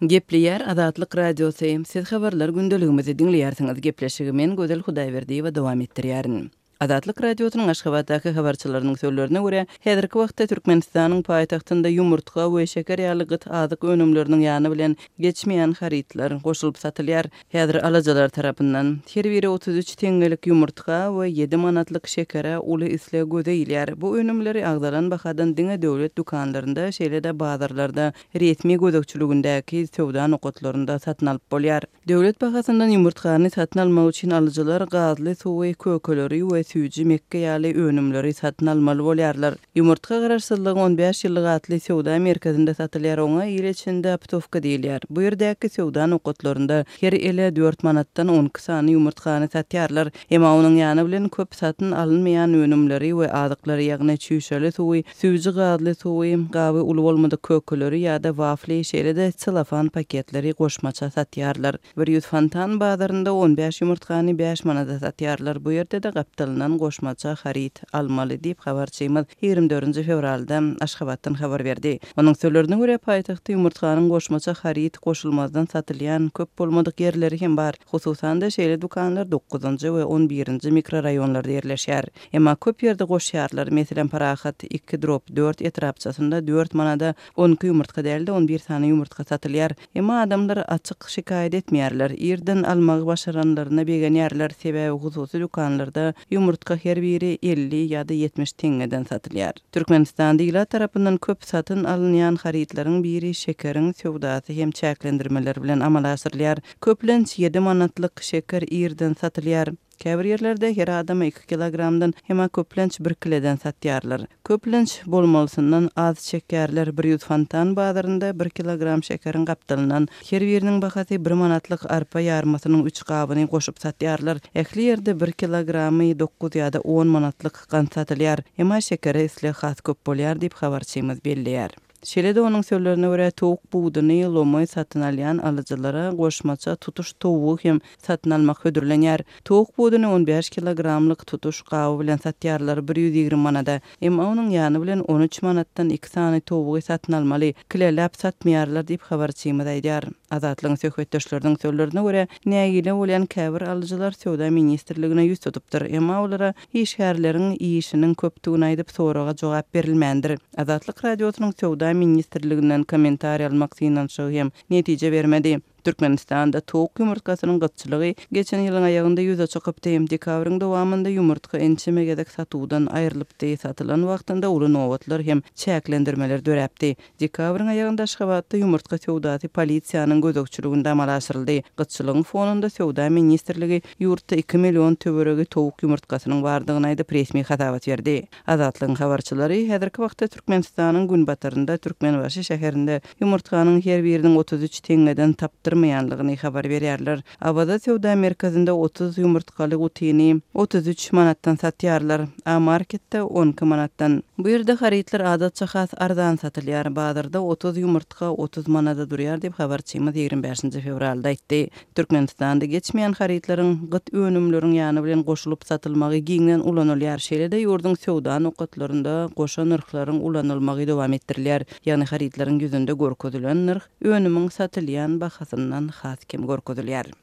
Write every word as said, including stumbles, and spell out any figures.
Gepleýär Azatlyk Radiosy. Siz habarlar gündeligimizi diňleýärsiňiz. Gepleşigi men Gözel Hudaýberdiýewa dowam etdirýärin. Azatlyk Radiosynyň Aşgabatdaky habarçylarynyň sözlerine görä, häzirki wagtda Türkmenistanyň paýtagtynda ýumurtga we şeker ýaly gyt azyk önümleriniň ýany bilen geçmeýän harytlar goşulyp satylýar. Häzir alyjylar tarapyndan her biri otuz üç teňňelik ýumurtga we ýedi manatlyk şekere uly isleg göze ilýär. Bu önümleri agzalan bahadan diňe döwlet dükanlarynda, şeýle-de bazarlarda, resmi gözegçiligindäki söwda nokatlarynda satyn alyp bolýar. Döwlet bahasyndan ýumurtgany satyn almak üçin alyjylar gazly suwy, kökeleri we süýji mekge ýaly önümleri satyn almaly bolýarlar. Ýumurtga Garaşsyzlygyň on bäş ýyllygy atly söwda merkezinde satylýar, oňa il içinde optowka diýilýär. Bu ýerdäki söwda nokatlarynda her ele dört manatdan on iki sany ýumurtgany satýarlar. Emma onuň ýany bilen köp satyn alynmaýan önümleri we azyklary, ýagny çüýşeli suwy, süýji gazly suwy, gaby uly bolmadyk kökeleri ýa-da wafli, şeýle-de selofan paketleri goşmaça satýarlar. Bir ýüz fontan bazarynda on bäş ýumurtgany bäş manada satýarlar. Bu ýerde-de gapdalyndan goşmaça haryt almaly diýip habarçymyz ýigrimi dördünji fewralda Aşgabatdan habar berdi. Onuň sözlerine görä, paýtagtda ýumurtganyň goşmaça haryt goşulmazdan satylýan köp bolmadyk ýerleri hem bar. Hususan-da şeýle dükanlar dokuzynjy we on birinji mikroraýonlarda ýerleşýär. Emma köp ýerde goşýarlar. Meselem, Parahat iki drop dört etrapçasynda dört manada on iki ýumurtga däl-de on bir sany ýumurtga satylýar. Emma adamlar açyk şikaýat etmeýärler. Ýerden almagy başaranlaryna begenýärler. Sebäbi hususy dükanlarda ýumurtga her biri elli ýa-da ýetmiş teňňeden satylýar. Türkmenistanda ilat tarapyndan köp satyn alynýan harytlaryň biri şekeriň söwdasy hem çäklendirmeler bilen amala aşyrylýar. Köplenç ýedi manatlyk şeker ýerden satylýar. Käbir ýerlerde her adama iki kilogramdan hem köplenç bir kileden satýarlar. Köplenç bolmalysyndan az çekýärler. Bir ýüz fontan bazarynda bir kilogram şekeriň gapdalyndan her biriniň bahasy bir manatlyk arpa ýarmasynyň üç gabyny goşup satýarlar. Ähli ýerde bir kilogramy dokuz ýa-da on manatlyk gant satylýar. Emma şekere isleg has köp bolýar diýip habarçymyz belleýär. Şeýle-de onuň sözlerine görä, towuk buduny lomaý satyn alýan alyjylara goşmaça tutuş towugy hem satyn almak hödürlenýär. Towuk buduny on bäş kilogramlyk tutuş gaby bilen satýarlar bir ýüz ýigrimi manada. Emma onuň ýany bilen on üç manatdan iki sany towugy satyn almaly, kileläp satmaýarlar diýip habarçymyz aýdýar. Azatlygyň söhbetdeşleriniň sözlerine görä, nägile bolýan käbir alyjylar söwda ministrligine ýüz tutupdyr. Emma olara işgärleriň işiniň köpdügini aýdyp soraga jogap berilmändir. Azatlyk Radiosynyň söwda ministrliginden kommentariý almak synanyşygy hem netije bermedi. Türkmenistanda towuk ýumurtgasynyň gytçylygy geçen ýylyň aýagynda ýüze çykypdy. Dekabryň dowamynda ýumurtga ençeme gezek satuwdan aýrylypdy. Satylan wagtynda uly nobatlar hem çäklendirmeler döräpdi. Dekabryň aýagynda Aşgabatda ýumurtga söwdasy polisiýanyň gözegçiliginde amala aşyryldy. Gytçylygyň fonunda söwda ministrligi ýurtda iki million töweregi towuk ýumurtgasynyň bardygyny aýdyp resmi hasabat berdi. Azatlygyň habarçylary häzirki wagtda Türkmenistanyň günbatarynda Türkmenbaşy şäherinde ýumurtganyň her biriniň otuz üç teňňeden tapdyrmaýanlygyny habar berýärler. Awaza söwda merkezinde otuz ýumurtgaly gutyny otuz üç manatdan satýarlar. A marketde on iki manatdan. Bu ýerde harytlar adatça has arzan satylýar. Bazarda otuz ýumurtga otuz manada durýar diýip habarçymyz ýigrimi bäşinji fewralda aýtdy. Türkmenistanda geçmeýän harytlaryň gyt önümleriň ýany bilen goşulyp satylmagy giňden ulanylýar. Şeýle-de ýurduň söwda nokatlarynda goşa nyrhlaryň ulanylmagy dowam etdirilýär. Ýagny harytlaryň ýüzünde görkezilen nyrh önümiň satylýan bahasyndan has kem görkezilýär.